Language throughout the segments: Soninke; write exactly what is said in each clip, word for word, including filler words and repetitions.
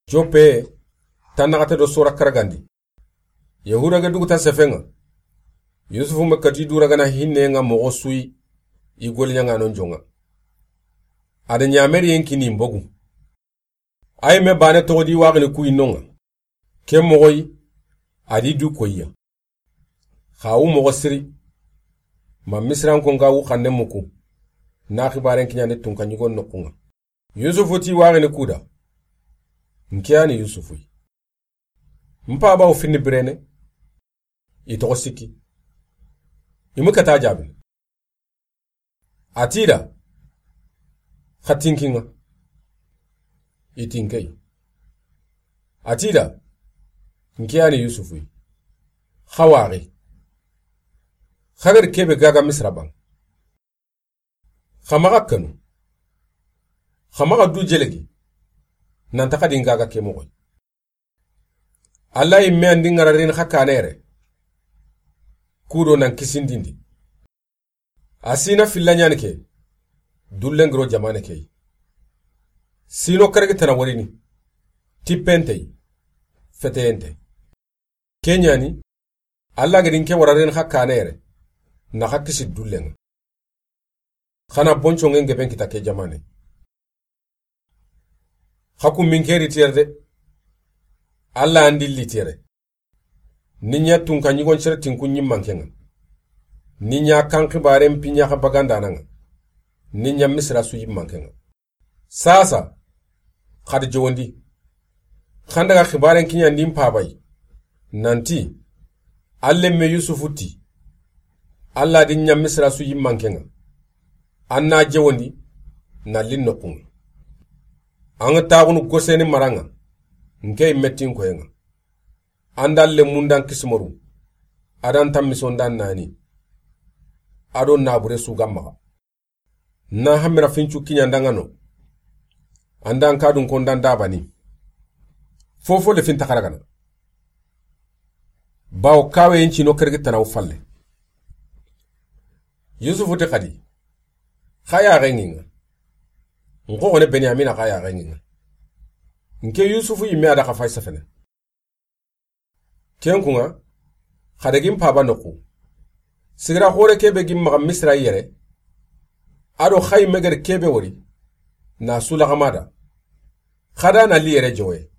Joppe, tannaxate do sora karagandi. Yahuda ga duguta sefenŋa. Yusufu ma kati duragana hinne ŋa moxo su yi, i goliɲaŋa non jonŋa. A da ɲameriyen kini mbogu. A yi me bane toxo di waxini ku yi nonŋa. Ke moxo yi, a di du koyiya. Xa wu moxo siri. Ma Misirankon ga wu xanne muku. Na xibaren kiɲandi tunka ɲigon noxunŋa. Yusufu ti waxini kuda. N ke yani Yusufu yi. N paba wo finni birene. I toxo sikki. I mu kata jabini. A ti da. Xa tinkinŋa. I tinkey. A ti da. N ke yani Yusufu yi. Xa waxi. Xa gari kebe gaga Misira ban. Xa maxa kanu. Xa maxa du jelegi. Nanta xadi n gaga ke moxoy. Alla yi me andi ŋararin xa kanere. Kudo nan kisindindi. A sina filla ɲani ke. Dullengiro jamane key. Sino karagi tana warini. Tippentey. Feteyente. Ke ɲani, Alla gedi n ke wararen xa kane yere, na xa kisi dullenŋa. Xana bonconŋe n geben kita ke jamane. Xa kummin ke ritiyere de. Alla andi litiyere. Ni ɲa tunka ɲigon cere tinku ɲimmankenŋa. Ni ɲa kan xibaren piɲa xa bagandananŋa. Ni ɲa Misira su yimmankenŋa. Sasa, xadi jowondi. Xan daga xibaren kiɲandi n pabay. Nanti, alle me Yusufu ti. Alla di ɲa Misira su yimmankenŋa. An na jowondi, na lin noxunŋa. An ga taxunu goseni maranŋa. N ke mettin koyenŋa. An da alle mundan kisimoru. A dan tammisondan nani. A do nabure su gammaxa. Na hamira fincu kiɲandanŋa no. Andan kadun kondan dabani. Fofo le finta xaragana. Bawo kawe yincino kergi tanaw falle. Yusufu ti xadi. Xa yaxenŋinŋa. N xoxone Benyamina xa yaxenŋinŋa. N ke Yusufu yimme a da xa fay sefene. Ken kunŋa, xa dagin paba noxu. Sigira xore kebe gin maxa Misira yere. A do xayi megeri kebe wori. Na sulaxamada. Xada na li yere jowe.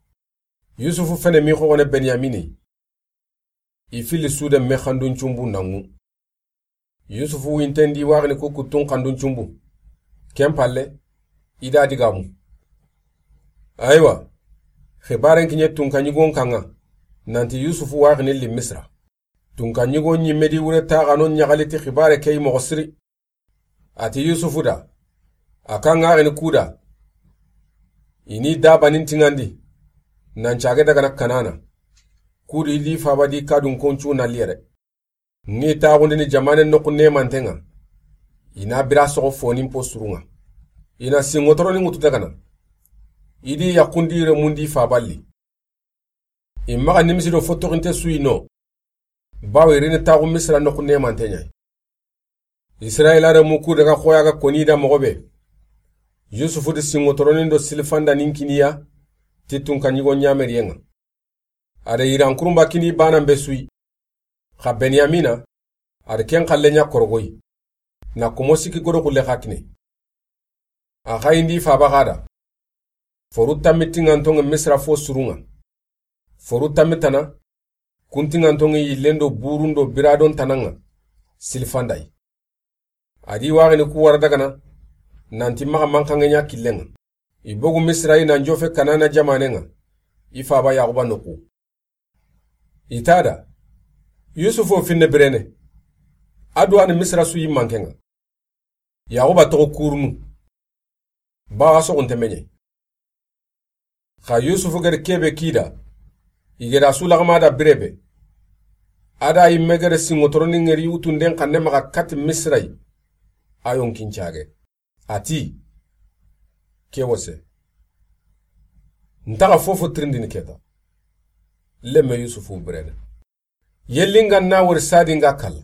Yusufu fene mi xoxone Benyamini. I fili sude me xandun cumbu nanŋu. Yusufu wintendi waxini ku kuttun xandun cumbu. Ken palle, i da digamu. Aywa, xibaren kiɲe tunka ɲigon kanŋa, nanti Yusufu waxini li Misira. Tunka ɲigon ɲimmedi wure taxano ɲaxali ti xibare ke yi moxo siri. A ti Yusufu da, a kan ŋaxini kuda. I ni dabanin tiŋandi, nan cage dagana Kanana. Kudu i li faba di kadun koncu na li yere. N ŋi taxundini jamane noxu nemantenŋa. I na bira soxo fonin po surunŋa. I na sinŋotoronin ŋutu dagana. I di yaxundi remundi faballi. I maxa nimisi do fottoxinte suyi no. Bawo i rini taxu Misira noxu nemanteɲa. Isirayila remu ku daga xoya ga koni da moxo be. Yusufu di sinŋotoronin do silifanda nin kiniya. Ti tunka ɲigo ɲameriyenŋa. A da yiran kurumba kini banan be suyi. Xa Benyamina, a da ken xalle ɲa korogoyi. Na komo sikki godo xulle xa kine. A xayindi faba xada. Foru tammi tiŋantoŋe Misira fo surunŋa. Foru tammi tana, kun tiŋantoŋe yillen do burun do biradon tananŋa. Silfandayi. A di waxini ku wara dagana, nanti maxa manxanŋe ɲa killenŋa. I bogu Misira i nan jofe Kanana jamanenŋa, i faba Yaxuba noxu. I ta da, Yusufu wo finne birene, a duwani Misira su yimmankenŋa. Yaxuba toxo kurunu, bawa soxunte meɲe. Xa Yusufu gedi kebe kida, i geda su laxama da birebe. A da yimme gede sinŋotoroni ŋeri wutunden xanne maxa kati Misira yi. A yonkin cage. A ti, ke wose. Ntaxa fofo tirindini keta. Lemme Yusufu birene. Yellinga na wori sadinga kalla.